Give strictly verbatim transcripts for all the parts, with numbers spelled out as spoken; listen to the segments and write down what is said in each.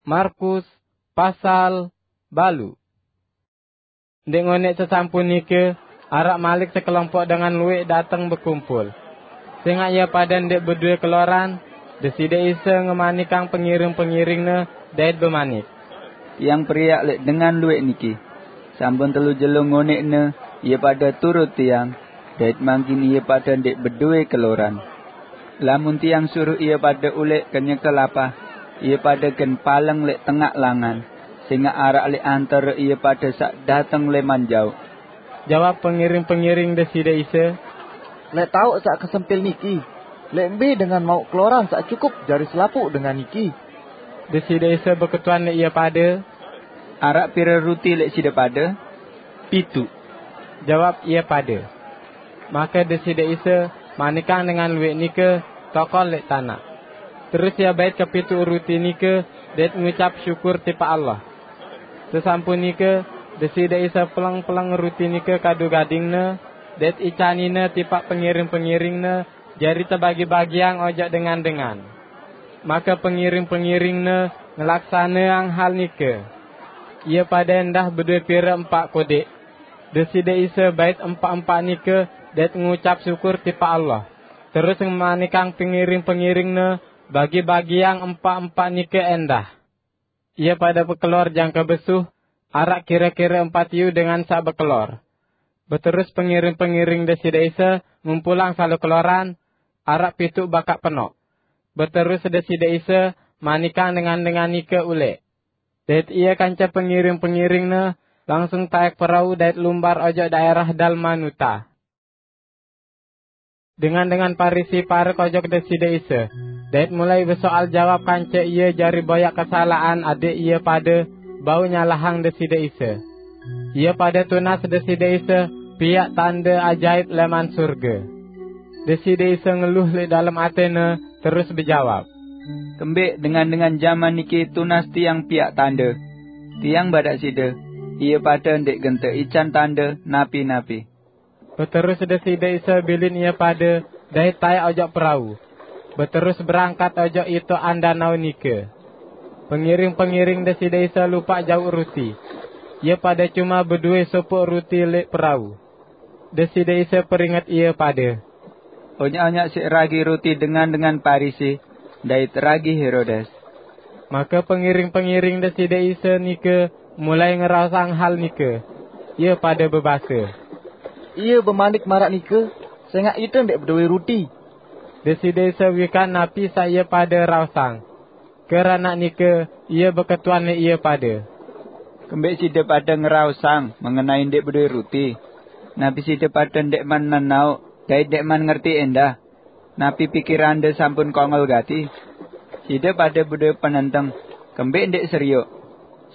Markus pasal balu. Ndeq ngoneq sesampun nike, araq malik sekelompok dengan lueq dateng bekumpul. Sengaq ie pade ndeq bedoe keloran, Deside Isa ngemanikang pengiring-pengiring-Ne dait bemanik, "Tiang periak leq dengan lueq niki. Sampun telu jelo ngoneqne ie pade turut Tiang, dait mangkin ie pade ndeq bedoe keloran. Lamun Tiang suruh ie pade uleq kenyeke lapah, ie pade gen paleng leq tengaq langan, sengaq araq leq antare ie pade saq dateng leman jaoq." Jawab pengiring-pengiring Deside Isa, "Leq taoq saq kesempil niki, leq mbe dengan mauq keloran saq cukup jari selapuq dengan niki?" Deside Isa beketuan leq ie pade, "Araq pire ruti leq side pade?" "Pituq," jawab ie pade. Make Deside Isa manikang dengan lueq nike tokol leq tanaq. Terus Ie bait kepituq ruti nike dait ngucap syukur tipaq Allah. Sesampun nike, Deside Isa peleng-peleng ruti nike kadu gading-Ne, dait icanine tipaq pengiring-pengiring-Ne, jari tebagi-bagiang ojok dengan-dengan. Make pengiring-pengiring-Ne ngelaksaneang hal nike. Ie pade endah bedoe pire empaq kodeq. Deside Isa bait empaq-empaq nike dait ngucap syukur tipaq Allah, terus ngemanikang pengiring-pengiring-Ne bagi-bagiang empaq-empaq nike endah. Ie pade bekelor jangke besuh, araq kire-kire empat iyu dengan saq bekelor. Beterus pengiring-pengiring Deside Isa ngumpulang salo keloran, araq pituq bakaq penoq. Beterus Deside Isa manikang dengan-dengan nike uleq. Dait Ie kance pengiring-pengiring-Ne langsung taek perau dait lumbar ojok daerah Dalmanuta. Dengan-dengan Parisi parek ojok Deside Isa, dait mulai besoal jawab kance Ie jari boyaq kesalaqan adeq ie pade bau nyalahang Deside Isa. Ie pade tunas Deside Isa piaq tande ajaip leman surge. Deside Isa ngeluh leq dalem atene, terus bejawab, "Kembeq dengan-dengan jaman niki tunas Tiang piaq tande? Tiang badaq side, ie pade ndeq gen teican tande napi-napi." Beterus Deside Isa bilin ie pade dait taek ojok perau, beterus berangkat ojok itoqan danau nike. Pengiring-pengiring Deside Isa lupaq jauq ruti. Ie pade cuma bedoe sopoq ruti leq perau. Deside Isa peringet ie pade, "Onyaq-onyaq siq ragi ruti dengan-dengan Parisi dait ragi Herodes." Make pengiring-pengiring Deside Isa nike mulai ngeraosang hal nike. Ie pade bebase, "Ie bemanik maraq nike, sengaq ite ndeq bedoe ruti." Deside Isa wikan napi saq ie pade raosang. Keranaq nike, Ie beketuan leq ie pade, "Kembeq side pade ngeraosang mengenai ndeq bedoe ruti? Napi side pade ndeqman nenaoq dait ndeqman ngerti endah? Napi pikirande sampun kongol gati? Side pade bedoe penenteng, kembeq ndeq serioq?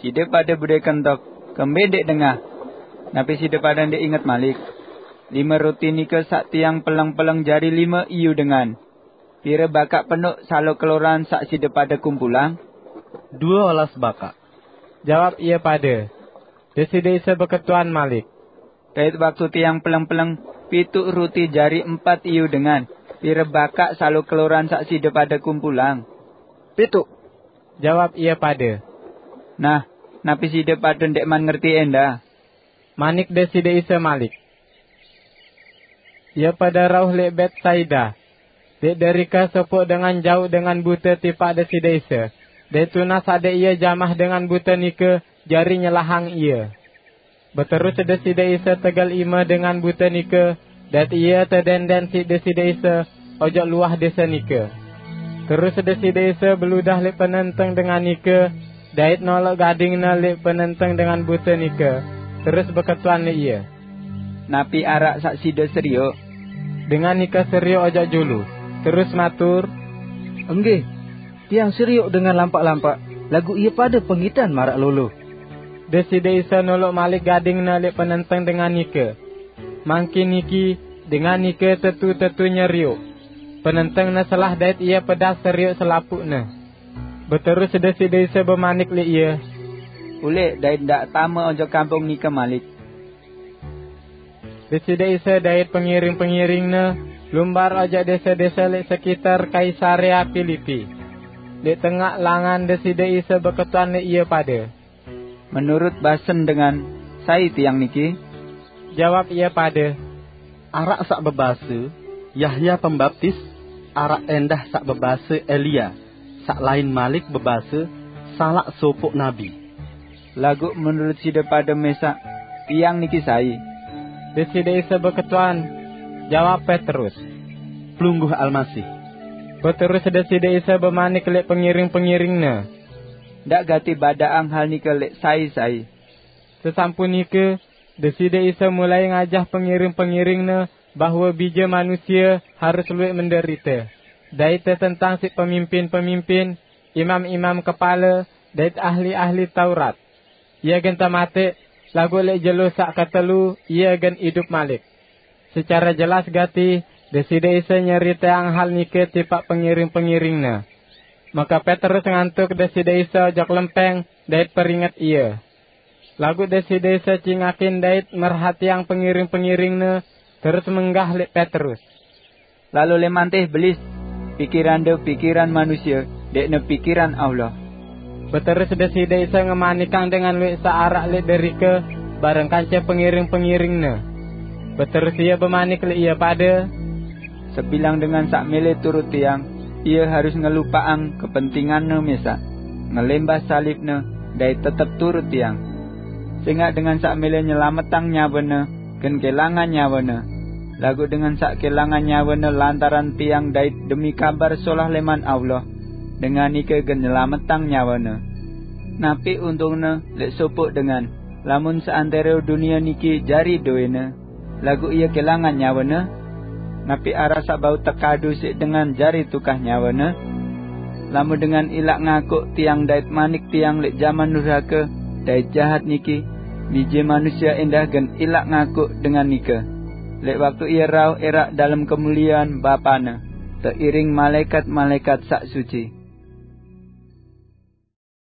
Side pade bedoe kentok, kembeq ndeq dengah? Napi side pade ndeq inget malik? Lime ruti nike saq Tiang peleng-peleng jari lime iyu dengan. Pire bakaq penoq salo keloran saq side pade kumpulang?" "Due olas bakaq," jawab ie pade. Deside Isa beketuan malik, "Dait waktu Tiang peleng-peleng pituq ruti jari empat iyu dengan, pire bakaq salo keloran saq side pade kumpulang?" "Pituq," jawab ie pade. "Nah, napi side pade ndeqman ngerti endah?" Manik Deside Isa malik, "Ie pade rauh leq Betsaida. Leq derike sopoq dengan jauq dengan bute tipaq Deside Isa, dait tunas adeq ie jamah dengan bute nike jari nyelahang ie." Beterus Deside Isa tegel ime dengan bute nike, dait ie tedenden siq Deside Isa ojok luah dese nike. Terus Deside Isa beludah leq penenteng dengan nike, dait noloq gading-Ne leq penenteng dengan bute nike, terus beketuan leq ie, "Napi araq saq side serioq?" Dengan nike serioq ojok julu, terus matur, "Enggih, tiang serioq dengan lampaq-lampaq, laguq ie pade pengitan maraq lolo." Deside Isa noloq malik gading-Ne leq penenteng dengan nike. Mangkin niki, dengan nike tetu-tetu nyerioq. Penenteng-Ne selah dait ie pedas serioq selapuqne. Beterus Deside Isa bemanik leq ie, "Uleq dait ndaq tame ojok kampung nike malik." Deside Isa dait pengiring-pengiring-Ne lumbar ojok dese-dese leq sekitar Kaisarea Pilipi. Di tengaq langan Deside Isa beketuan leq ie pade. "Menurut basen dengan, sai tiang niki?" Jawab ie pade, "Araq saq bebase, Yahya Pembaptis, araq endah saq bebase Elia, saq lain malik bebase, salaq sopoq nabi." "Laguq menurut side pade mesaq, tiang niki sai?" Deside Isa beketuan. Jawab Petrus, "Pelungguh Almasih." Beterus Deside Isa bemanik leq pengiring-pengiring-Ne, "Ndaq gati badaqang hal nike leq sai-sai." Sesampun nike, Deside Isa mulai ngajah pengiring-pengiring-Ne bahwe Bije Manusie harus lueq menderite, dait tetentang siq pemimpin-pemimpin, imam-imam kepale, dait ahli-ahli Taurat. Ie gen temateq, laguq leq jelo saq ketelu Ie gen idup malik. Secare jelas gati, Deside Isa nyeriteang hal nike tipaq pengiring-pengiring-Ne. Make Petrus ngantuk Deside Isa ojok lempeng dait peringet Ie. Laguq Deside Isa cingakin dait merhatiang pengiring-pengiring-Ne, terus menggah leq Petrus, "Lalo leman teh, Belis! Pikirande pikiran manusie, ndeqne pikiran Allah." Beterus Deside Isa ngemanikang dengan lueq saq araq leq derike bareng kance pengiring-pengiring-Ne. Beterus Ie bemanik leq ie pade, "Sebilang dengan saq mele turut Tiang, ie harus ngelupaqang kepentinganne mesaq, ngelembah salibne, dait tetep turut Tiang. Sengaq dengan saq mele nyelametang nyawene, gen kelangan nyawene. Laguq dengan saq kelangan nyawene lantaran Tiang dait demi Kabar Solah leman Allah, dengan nike gen nyelametang nyawene. Napi untungne leq sopoq dengan, lamun seantero dunie niki jari dowene, laguq ie kelangan nyawene? Napi araq saq bau tekadu siq dengan jari tukah nyawene? Lamun dengan ilaq ngakuq Tiang dait manik Tiang leq jaman durhake dait jahat niki, Bije Manusie endah gen ilaq ngakuq dengan nike, leq waktu Ie rauh eraq dalem kemuliean Bapa-Ne, teiring malaekat-malaekat saq suci."